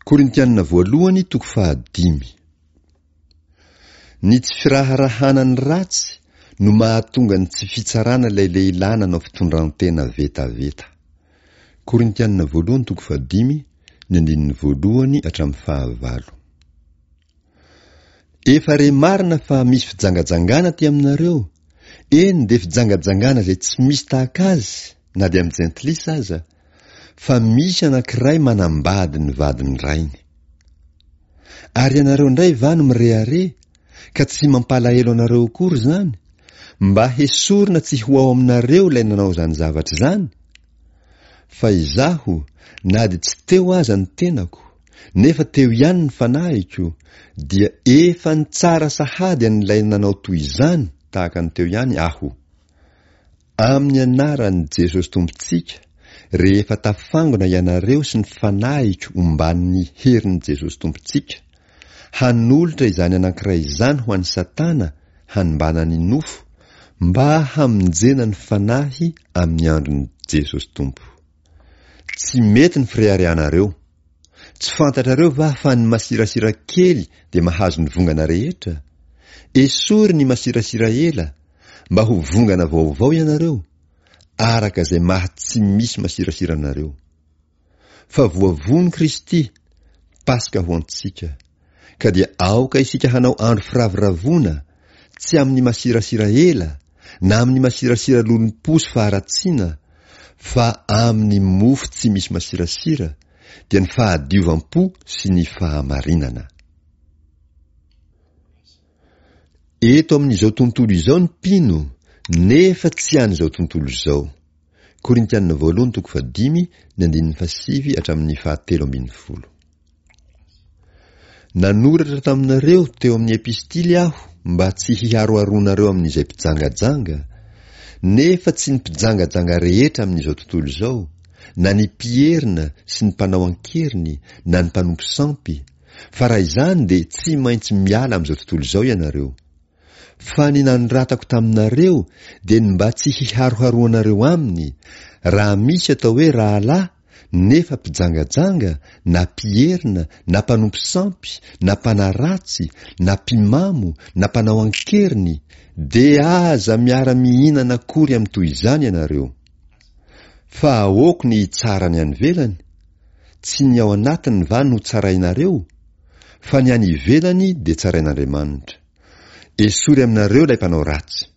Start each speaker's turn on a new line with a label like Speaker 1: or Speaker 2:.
Speaker 1: Korintianina voalohany toko fahadimy. Ny tsy firaharahana ny ratsy no mahatonga ny tsy fitsarana ilay lehilahy nanao fitondran-tena vetaveta. Korintianina voalohany toko fahadimy, ny andininy voalohany hatramin'ny fahavalo. Efa re marina fa misy fijangajangana aty aminareo, eny dia fijangajangana izay tsy misy tahaka azy na dia amin'ny jentilisa aza, fa misy anankiray manambady ny vadin'ny rainy. Ary ianareo indray va no mirehareha, ka tsy mampalahelo anareo akory izany, mba hesorina tsy ho ao aminareo ilay nanao izany zavatra izany? Fa izaho, na dia tsy teo aza ny tenako, nefa teo ihany ny fanahiko, dia efa nitsara sahady an'ilay nanao toy izany tahaka ny teo ihany aho. Amin'ny anaran'i Jesosy Tompontsika, rehefa tafangona ianareo sy ny fanahiko omban'ny herin'i Jesosy Tompontsika, hanolotra izany anankiray izany ho an'i Satana hanimbana ny nofo, mba hamonjena ny fanahy amin'ny andron'i Jesosy Tompo. Tsy mety ny fireharehanareo. Tsy fantatrareo va fa ny masirasira kely dia mahazo ny vongana rehetra? Esory ny masirasira ela, mba ho vongana vaovao ianareo, araka izay maha tsy misy masirasira anareo. Fa voavono Kristy, Paska ho antsika. Ka dia aoka isika hanao andro firavoravoana, tsy amin'ny masirasira ela, na amin'ny masirasira lolompo sy faharatsiana, fa amin'ny mofo tsy misy masirasira, dia ny fahadiovam-po sy ny fahamarinana. Eto amin'izao tontolo izao ny mpino, nefa tsy an'izao tontolo izao. Korintiana voalohany toko fahadimy, ny andininy fahasivy hatramin'ny fahatelo ambin'ny folo. Nanoratra taminareo teo amin'ny epistily aho mba tsy hiharoharoanareo amin'izay mpijangajanga, nefa tsy ny mpijangajanga rehetra amin'izao tontolo izao, na ny mpierina sy ny mpanao an-keriny na ny mpanompo sampy, fa raha izany dia tsy maintsy miala amin'izao tontolo izao ianareo. Fa ny nanoratako taminareo dia ny mba tsy hiharoharoanareo aminy, raha misy atao hoe rahalahy nefa mpijangajanga na mpierina na mpanompo sampy na mpanaratsy na mpimamo na mpanao an-keriny, dia aza miara-mihinana akory amin'ny toy izany ianareo. Fa ahoako ny hitsara ny any ivelany? Tsy ny ao anatiny va no tsarainareo? Fa ny any ivelany dia tsarain'Andriamanitra. Esory aminareo ilay mpanao ratsy.